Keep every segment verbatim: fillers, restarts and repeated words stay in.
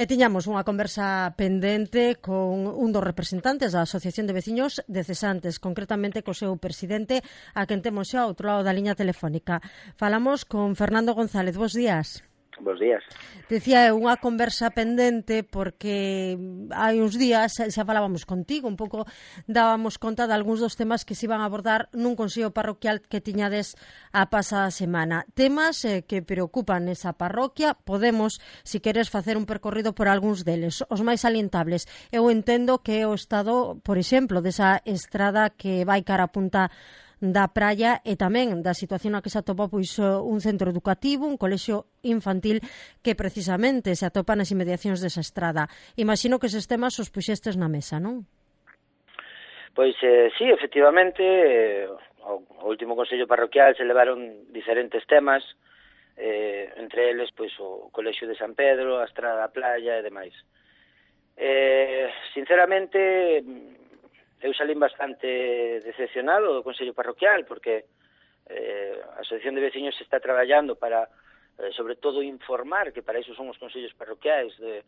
E tiñamos unha conversa pendente con un dos representantes da Asociación de Veciños de Cesantes, concretamente co seu presidente, a quen temos xa ao outro lado da liña telefónica. Falamos con Fernando González. Bos días. Bos días. Dicía eu unha conversa pendente porque hai uns días xa falábamos contigo, un pouco dábamos conta de algúns dos temas que se iban a abordar nun consello parroquial que tiñades a pasada semana. Temas eh, que preocupan esa parroquia. Podemos, si queres, facer un percorrido por algúns deles. Os máis salientables. Eu entendo que é o estado, por exemplo, desa estrada que vai cara a punta da praia e tamén da situación na que se atopa pois un centro educativo, un colexio infantil que precisamente se atopa nas inmediacións desa estrada. Imagino que eses temas os puxestes na mesa, non? Pois eh, sí, efectivamente, eh, ao, ao último consello parroquial se levaron diferentes temas, eh, entre eles pois o colexio de San Pedro, a estrada da playa e demais. Eh, sinceramente, eu salín bastante decepcionado do Consello Parroquial porque eh, a Asociación de Veciños está traballando para, eh, sobre todo, informar, que para iso son os consellos parroquiais, de,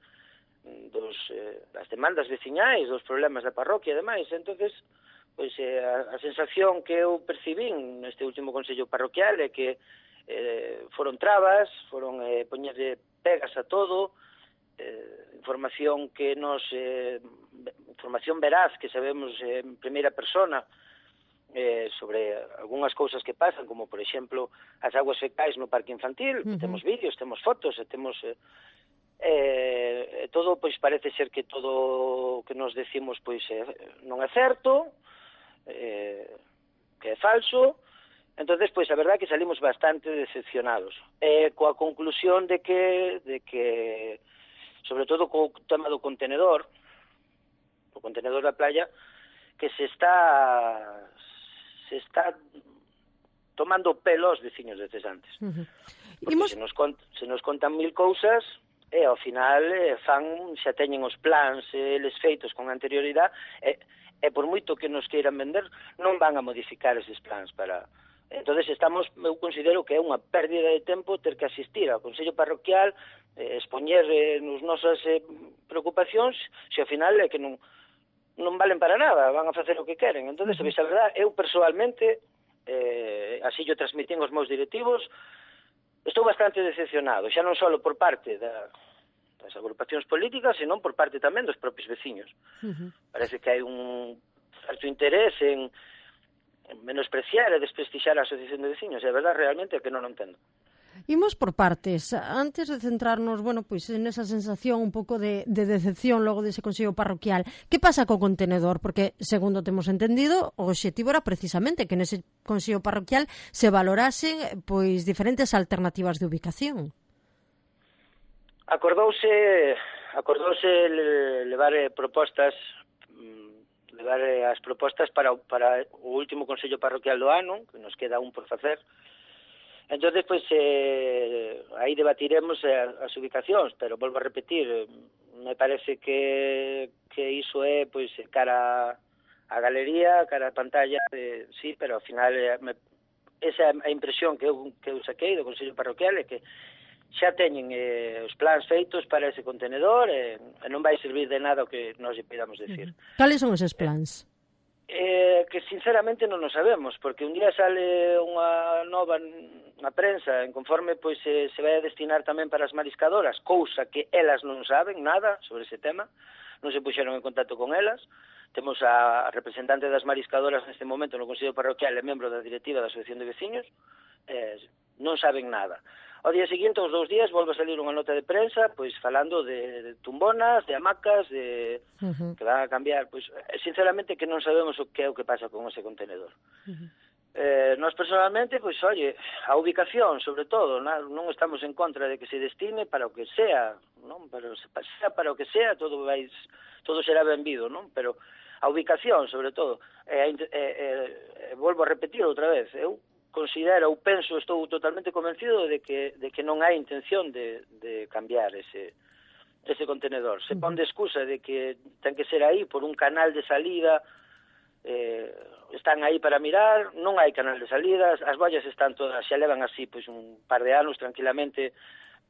dos, eh, das demandas veciñais, dos problemas da parroquia e demais. Entonces, pois, eh, a, a sensación que eu percibín neste último Consello Parroquial é que eh, foron trabas, foron eh, poñerlle pegas a todo, eh, información que nos... Eh, información veraz que sabemos eh, en primeira persona eh, sobre algunhas cousas que pasan, como, por exemplo, as aguas fecais no parque infantil. Uh-huh. Temos vídeos, temos fotos, e temos... Eh, eh, todo, pois, parece ser que todo o que nos decimos, pois, eh, non é certo, eh, que é falso. Entonces, pois, a verdade é que salimos bastante decepcionados. Eh, coa conclusión de que, de que, sobre todo co tema do contenedor, o contenedor da playa, que se está se está tomando pelo aos veciños de Cesantes. Uh-huh. Porque Imos... se, nos cont, se nos contan mil cousas e ao final eh, fan, xa teñen os plans eh, eles feitos con anterioridade e, e por moito que nos queiran vender non van a modificar eses plans para... Entonces estamos, eu considero que é unha pérdida de tempo ter que asistir ao Consello Parroquial, eh, expoñer eh, nos nosas eh, preocupacións, se ao final é que non non valen para nada, van a facer o que queren. Entonces, a verdade, eu persoalmente, eh, así yo transmitín aos meus directivos, estou bastante decepcionado, xa non só por parte da, das agrupacións políticas, senón por parte tamén dos propios veciños. Uh-huh. Parece que hai un certo interés en, en menospreciar e desprestixiar a Asociación de Veciños, e a verdade realmente é que non o entendo. Imos por partes. Antes de centrarnos, bueno, pois en esa sensación un pouco de, de decepción logo dese consello parroquial, que pasa co contenedor? Porque, segundo temos entendido, o obxectivo era precisamente que nese consello parroquial se valorasen pois diferentes alternativas de ubicación. Acordouse, acordouse levar propostas, levar as propostas para, para o último consello parroquial do ano, que nos queda un por facer. Entón, pois, eh, aí debatiremos eh, as ubicacións, pero volvo a repetir, eh, me parece que, que iso é, pois, cara a galería, cara a pantalla, de, sí, pero ao final, eh, me, esa é a impresión que eu, que eu saquei do Consello Parroquial, é que xa teñen eh, os plans feitos para ese contenedor, e eh, non vai servir de nada o que nos lle pidamos decir. Cales son eses plans? Eh, que sinceramente non o sabemos, porque un día sale unha nova na prensa, en conforme pois se, se vai a destinar tamén para as mariscadoras, cousa que elas non saben nada sobre ese tema, non se puxeron en contacto con elas. Temos a representante das mariscadoras neste momento no Consello Parroquial e membro da directiva da Asociación de Veciños, eh, non saben nada. Ao día seguinte, aos dous días, volve a salir unha nota de prensa, pois falando de, de tumbonas, de hamacas, de uh-huh. que van a cambiar. Pois, sinceramente, que non sabemos o que é o que pasa con ese contenedor. Uh-huh. Eh, nós, personalmente, pois, oye, a ubicación, sobre todo, non estamos en contra de que se destine para o que sea, non? Pero sea para o que sea, todo vai, todo será benvido, non? Pero a ubicación, sobre todo, eh, eh, eh, volvo a repetir outra vez, eu considero, ou penso, estou totalmente convencido de que, de que non hai intención de, de cambiar ese, ese contenedor. Se pon de excusa de que ten que ser aí por un canal de salida, eh, están aí para mirar, non hai canal de salida, as boias están todas, xa levan así pois un par de anos tranquilamente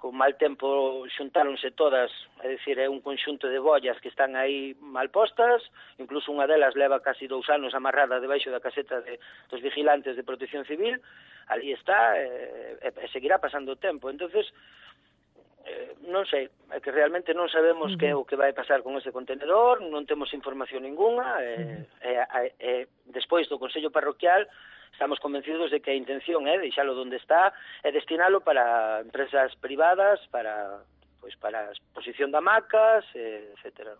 con mal tempo xuntáronse todas, é dicir, é un conxunto de bollas que están aí mal postas, incluso unha delas leva casi dous anos amarrada debaixo da caseta de, dos vigilantes de Protección Civil, ali está, e, e seguirá pasando o tempo. Entonces, eh, non sei, é que realmente non sabemos uh -huh. que é o que vai pasar con ese contenedor, non temos información ninguna, e, uh -huh. e, e, e despois do Consello Parroquial, estamos convencidos de que a intención é deixalo onde está e destinalo para empresas privadas, para pois para a exposición de hamacas, etcétera.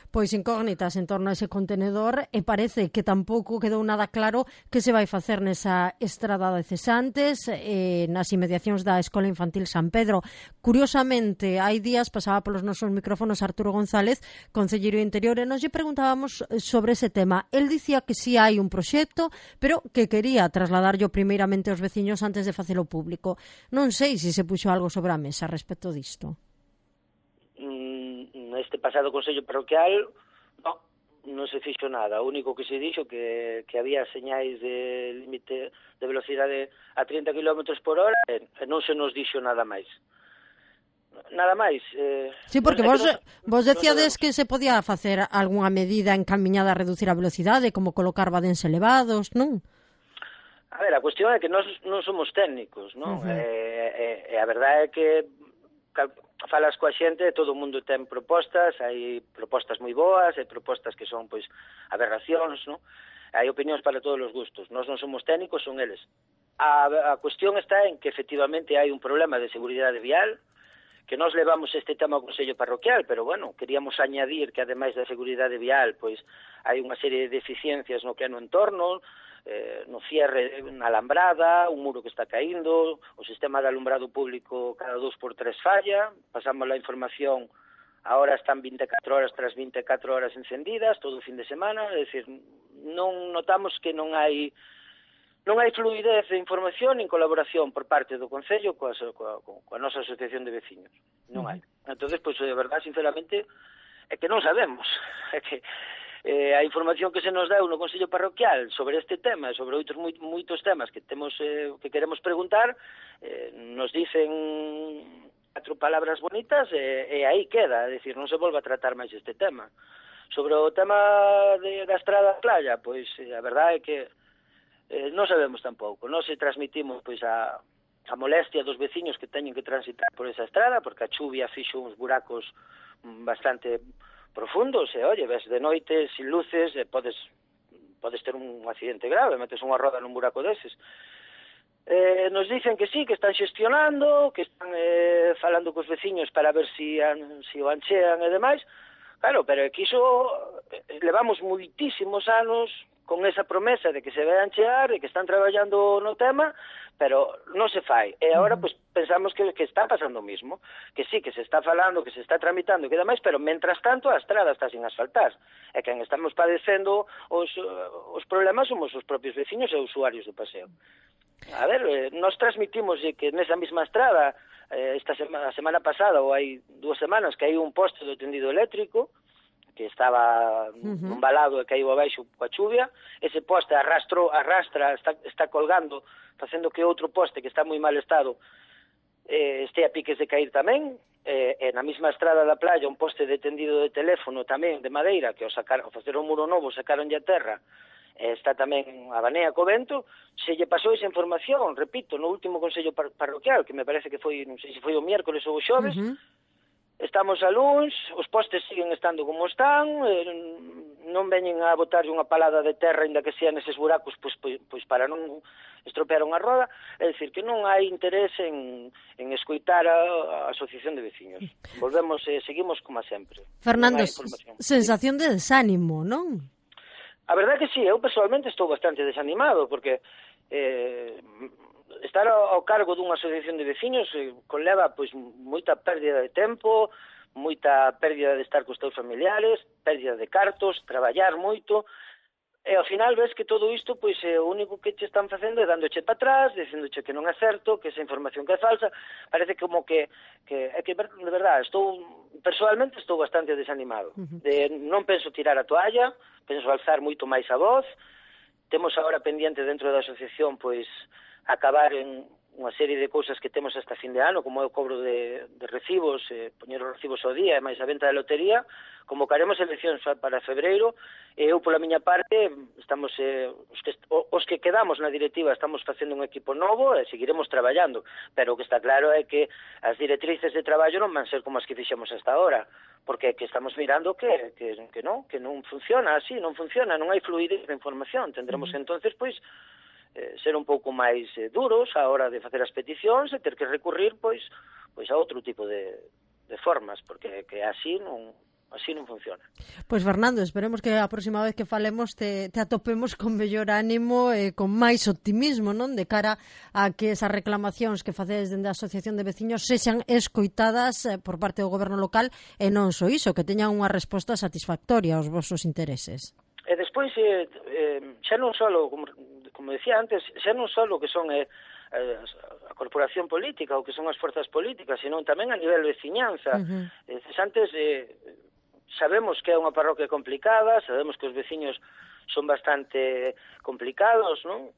Pois incógnitas en torno a ese contenedor e parece que tampouco quedou nada claro que se vai facer nesa estrada de cesantes eh, nas inmediacións da Escola Infantil San Pedro. Curiosamente, hai días pasaba polos nosos micrófonos Arturo González, concelleiro de Interior, e nos lle preguntábamos sobre ese tema. El dicía que si sí hai un proxecto, pero que quería trasladarlo primeiramente aos veciños antes de facelo público. Non sei se se puxo algo sobre a mesa respecto disto. Neste pasado Consello Parroquial non, non se fixo nada. O único que se dixo que, que había señais de límite de velocidade a trinta kilómetros por hora e, e non se nos dixo nada máis. Nada máis. Eh, sí, porque vos, non, vos decíades non que se podía facer algunha medida encaminhada a reducir a velocidade, como colocar badéns elevados, non? A ver, a cuestión é que nós non somos técnicos, non? Uh -huh. E, e, e a verdade é que falas coa xente e todo o mundo ten propostas, hai propostas moi boas, hai propostas que son, pois, aberracións, non? Hai opinións para todos os gustos. Nós non somos técnicos, son eles. A, a cuestión está en que, efectivamente, hai un problema de seguridade vial, que nós levamos este tema ao Consello Parroquial, pero, bueno, queríamos añadir que, ademais da seguridade vial, pois, hai unha serie de deficiencias no que é no entorno, eh, no cierre na alambrada, un muro que está caíndo, o sistema de alumbrado público cada dos por tres falla, pasamos a información, ahora están vinte e catro horas tras vinte e catro horas encendidas, todo o fin de semana, é dicir, non notamos que non hai non hai fluidez de información nin colaboración por parte do Concello coa, coa, coa nosa asociación de veciños, non hai. Entonces, pois, de verdade, sinceramente, é que non sabemos, é que Eh, a información que se nos deu no Consello Parroquial sobre este tema e sobre outros moi, moitos temas que temos eh, que queremos preguntar, eh, nos dicen catro palabras bonitas e, e aí queda, é dicir, non se volve a tratar máis este tema. Sobre o tema de, da estrada a playa, pois eh, a verdade é que eh, non sabemos tampouco, non se transmitimos pois a, a molestia dos veciños que teñen que transitar por esa estrada, porque a chuvia fixo uns buracos bastante profundos, e, oye, ves de noite, sin luces, e podes, podes ter un accidente grave, metes unha roda nun buraco deses. Eh, nos dicen que sí, que están xestionando, que están eh, falando cos veciños para ver si, an, si o anchean e demais. Claro, pero é que iso eh, levamos moitísimos anos con esa promesa de que se vai anchear, de que están traballando no tema, pero non se fai. E agora, pois, pensamos que, que está pasando o mismo, que sí, que se está falando, que se está tramitando, que demais, pero, mentras tanto, a estrada está sin asfaltar. E quen estamos padecendo os, os problemas somos os propios veciños e usuarios do paseo. A ver, eh, nos transmitimos que nesa mesma estrada, eh, esta semana, a semana pasada, ou hai dúas semanas, que hai un poste do tendido eléctrico, que estaba uh -huh. nun balado e caíu abaixo coa chuvia, ese poste arrastro, arrastra, está, está colgando, facendo que outro poste que está moi mal estado eh, este a piques de cair tamén, eh, e na mesma estrada da playa un poste de tendido de teléfono tamén de madeira, que ao, sacar, ao facer un muro novo sacaronlle a terra, eh, está tamén a banea co vento, se lle pasou esa información, repito, no último Consello par Parroquial, que me parece que foi, non sei se foi o miércoles ou o xoves, uh -huh. Estamos a luns, os postes siguen estando como están, eh, non veñen a botar unha palada de terra, ainda que sean eses buracos, pois, pois, pois para non estropear unha roda, é dicir, que non hai interés en, en escoitar a, a asociación de veciños. Volvemos, eh, seguimos como sempre. Fernando, sensación de desánimo, non? A verdade que sí, eu personalmente estou bastante desanimado, porque eh, estar ao cargo dunha asociación de veciños eh, conleva pois moita pérdida de tempo, moita pérdida de estar cos teus familiares, pérdida de cartos, traballar moito, e ao final ves que todo isto pois é o único que che están facendo é dándoche para atrás, dicendoche que non é certo, que esa información que é falsa, parece como que, que é que de verdade, estou personalmente estou bastante desanimado. De, non penso tirar a toalla, penso alzar moito máis a voz. Temos agora pendiente dentro da asociación pois acabar en unha serie de cousas que temos hasta fin de ano, como é o cobro de, de recibos, eh, poñer os recibos ao día e máis a venta de lotería. Convocaremos eleccións para febreiro e eu, pola miña parte, estamos eh, os, que, os que quedamos na directiva estamos facendo un equipo novo e seguiremos traballando, pero o que está claro é que as directrices de traballo non van ser como as que fixemos hasta ahora, porque que estamos mirando que, que, que non, que non funciona así, non funciona, non hai fluidez de información. Tendremos que entonces, pois, eh, ser un pouco máis eh, duros a hora de facer as peticións e ter que recurrir, pois, pois a outro tipo de, de formas, porque que así non así non funciona. Pois Fernando, esperemos que a próxima vez que falemos te, te atopemos con mellor ánimo e con máis optimismo, non? De cara a que esas reclamacións que facedes dende a Asociación de Veciños sexan escoitadas eh, por parte do goberno local e non só iso, que teñan unha resposta satisfactoria aos vosos intereses. E despois, eh, eh, xa non só, como, como decía antes, xa non só que son eh, a corporación política ou que son as forzas políticas, senón tamén a nivel de veciñanza. Uh-huh. Eh, antes, eh, sabemos que é unha parroquia complicada, sabemos que os veciños son bastante complicados, non?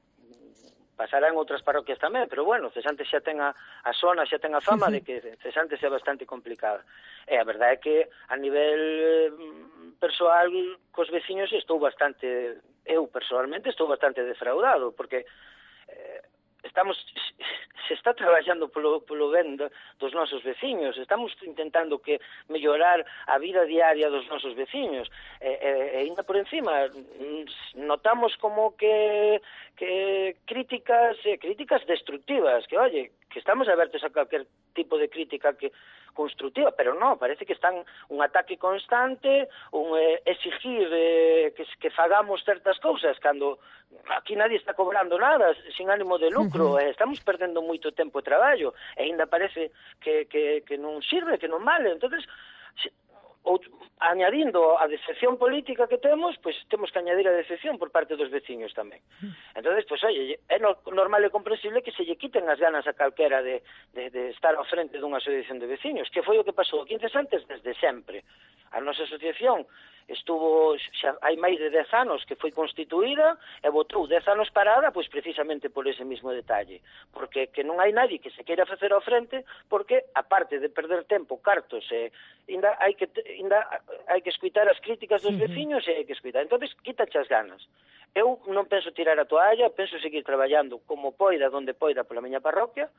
Pasarán outras parroquias tamén, pero bueno, Cesantes xa ten a, a zona, xa ten a fama de que Cesantes é bastante complicada. E a verdade é que a nivel eh, persoal cos veciños estou bastante, eu personalmente estou bastante defraudado, porque eh, estamos, se está traballando polo, polo ben dos nosos veciños, estamos intentando que mellorar a vida diaria dos nosos veciños, e, e, e ainda por encima notamos como que, que críticas, eh, críticas destructivas, que oye, que estamos abertos a calquer tipo de crítica que constructiva, pero non, parece que están un ataque constante, un eh, exigir eh, que, que fagamos certas cousas, cando aquí nadie está cobrando nada, sin ánimo de lucro, uh-huh. eh, estamos perdendo moito tempo de traballo, e ainda parece que, que, que non sirve, que non vale, entonces ou, añadindo a decepción política que temos, pois pues, temos que añadir a decepción por parte dos veciños tamén. Entonces, pois, pues, oye, é normal e comprensible que se lle quiten as ganas a calquera de, de, de estar ao frente dunha asociación de veciños, que foi o que pasou aquí en Cesantes desde sempre. A nosa asociación estuvo, xa hai máis de dez anos que foi constituída e botou dez anos parada, pois precisamente por ese mismo detalle, porque que non hai nadie que se queira facer ao frente, porque aparte de perder tempo, cartos, e ainda hai que ainda hai que escutar as críticas dos veciños e hai que escutar. Entonces, quítache as ganas. Eu non penso tirar a toalla, penso seguir traballando como poida, donde poida pola miña parroquia,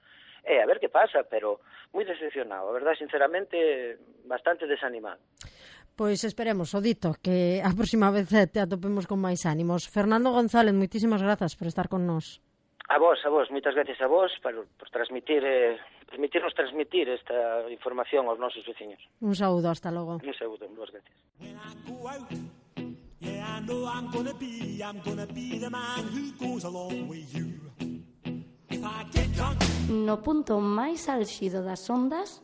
e a ver que pasa, pero moi decepcionado, a verdade, sinceramente, bastante desanimado. Pois esperemos, o dito, que a próxima vez te atopemos con máis ánimos. Fernando González, moitísimas grazas por estar con nós. A vos, a vos, moitas gracias a vos por, por transmitir, eh, permitirnos transmitir esta información aos nosos veciños. Un saúdo, hasta logo. Un saúdo, vos gracias. No punto máis álxido das ondas,